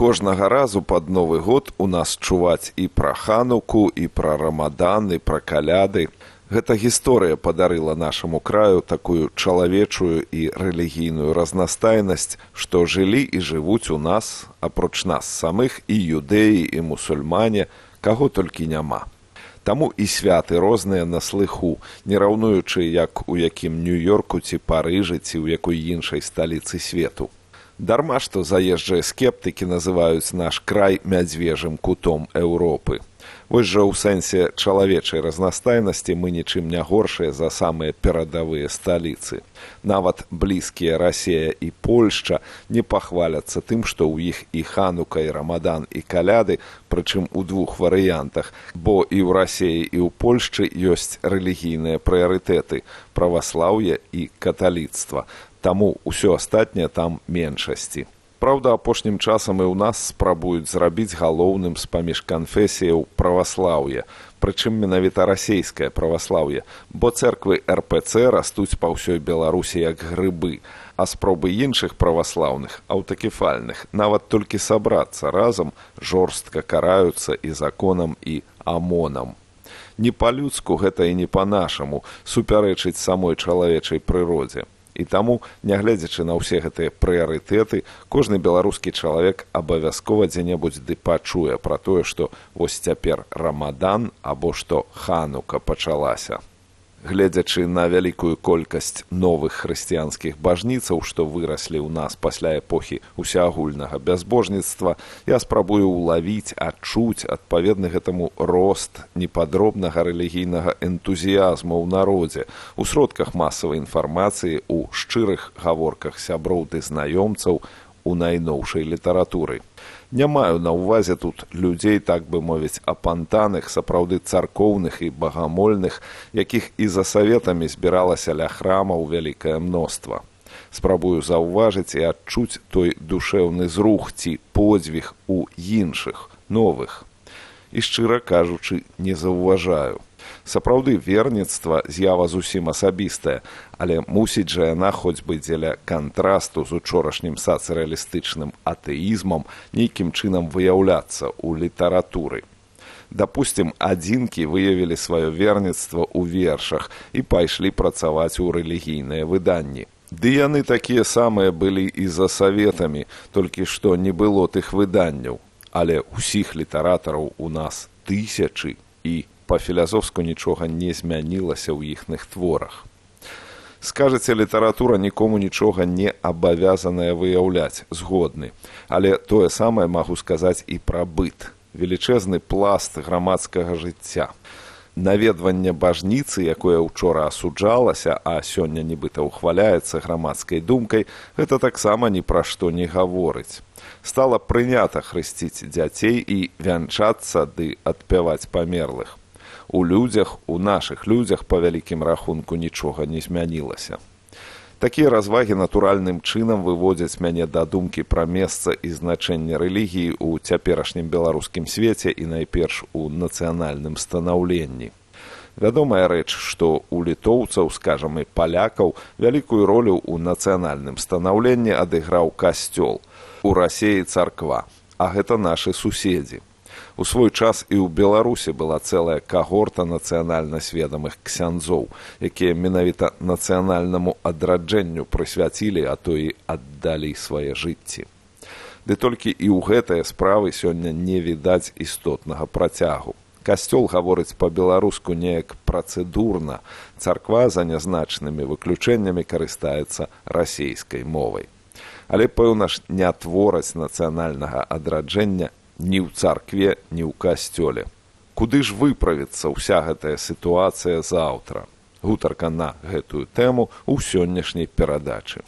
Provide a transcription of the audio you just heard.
Кожнага разу пад Новы год у нас чуваць і пра Хануку, і пра Рамадан, і пра каляды. Гэта гісторыя падарыла нашаму краю такую чалавечую і рэлігійную разнастайнасць, што жылі і жывуць у нас, апроч нас самых, і юдэі, і мусульмане, каго толькі няма. Таму і святы розныя на слыху, не раўнуючы, як у якім Нью-Йорку ці Парыжы, ці ў якой іншай сталіцы свету. Дарма, што заезджыя скептыкі называюць наш край мядзвежым кутом Еўропы. Вось жа ў сэнсе чалавечай разнастайнасці мы нічым не горшыя за самыя перадавыя сталіцы. Нават блізкія Расія і Польшча не пахваляцца тым, што ў іх і Ханука, і Рамадан, і каляды, прычым у двух варыянтах, бо і ў Расіі, і ў Польшчы ёсць рэлігійныя прыярытэты – праваслаўе і каталіцтва. Таму ўсё астатняе там меншасці. Праўда, апошнім часам і ў нас спрабуюць зрабіць галоўным з-паміж канфесіяў праваслаўе, прычым менавіта расейскае праваслаўе, бо цэрквы РПЦ растуць па ўсёй Беларусі як грыбы, а спробы іншых праваслаўных, аўтакефальных, нават толькі сабрацца разам, жорстка караюцца і законам, і АМОНам. Не па-людску гэта і не па-нашаму супярэчыць самой чалавечай прыродзе. І таму, нягледзячы на ўсе гэтыя прыярытэты, кожны беларускі чалавек абавязкова дзе-небудзь ды пачуе пра тое, што вось цяпер Рамадан або што Ханука пачалася. Гледзячы на вялікую колькасць новых хрысціянскіх бажніцаў, што выраслі ў нас пасля эпохі усеагульнага бязбожніцтва, я спрабую ўлавіць, адчуць адпаведны гэтаму рост непадробнага рэлігійнага энтузіязму ў народзе, у сродках масавай інфармацыі, у шчырых гаворках сяброў ды знаёмцаў, у найноўшай літаратуры. Не маю на ўвазе тут людзей, так бы мовіць, апантаных, сапраўды царкоўных і багамольных, якіх і за саветамі збіралася ля храмаў вялікае мноства. Спрабую заўважыць і адчуць той душэўны зрух ці подзвіг у іншых, новых. І, шчыра кажучы, не заўважаю. Сапраўды, верніцтва з'ява зусім асабістая, але мусіць жа яна хоць бы дзеля кантрасту з учорашнім сацыялістычным атэізмам нейкім чынам выяўляцца ў літаратуры. Дапусцім, адзінкі выявілі сваё верніцтва ў вершах і пайшлі працаваць у рэлігійныя выданні. Ды яны такія самыя былі і за саветамі, толькі што не было тых выданняў. Але ўсіх літаратараў у нас тысячы і па-філазофску нічога не змянілася ў іхных творах. Скажаце, літаратура нікому нічога не абавязаная выяўляць, згодны. Але тое самае магу сказаць і пра быт. Велічэзны пласт грамадскага жыцця. Наведванне бажніцы, якое ўчора асуджалася, а сёння нібыта ўхваляецца грамадскай думкай, гэта таксама ні пра што не гаворыць. Стала прынята хрысціць дзяцей і вянчацца ды адпяваць памерлых. У людзях, у нашых людзях, па вялікім рахунку, нічога не змянілася. Такія развагі натуральным чынам выводзяць мяне да думкі пра месца і значэнне рэлігіі ў цяперашнім беларускім свеце і найперш у нацыянальным станаўленні. Вядомая рэч, што у літоўцаў, скажам, і палякаў вялікую ролю ў нацыянальным станаўленні адыграў касцёл, у Расіі царква, а гэта нашы суседзі. У свой час і ў Беларусі была цэлая кагорта нацыянальна сведамых ксяндзоў, якія менавіта нацыянальнаму адраджэнню прысвяцілі, а то і аддалі свае жыцці. Ды толькі і ў гэтыя справы сёння не відаць істотнага працягу. Касцёл гаворыць па-беларуску неяк працэдурна, царква за нязначнымі выключэннямі карыстаецца расейскай мовай. Але, пэўна ж, не твораць нацыянальнага адраджэння ні ў царкве, ні ў касцёле. Куды ж выправіцца ўся гэтая сітуацыя заўтра? Гутарка на гэтую тэму ў сённяшняй перадачы.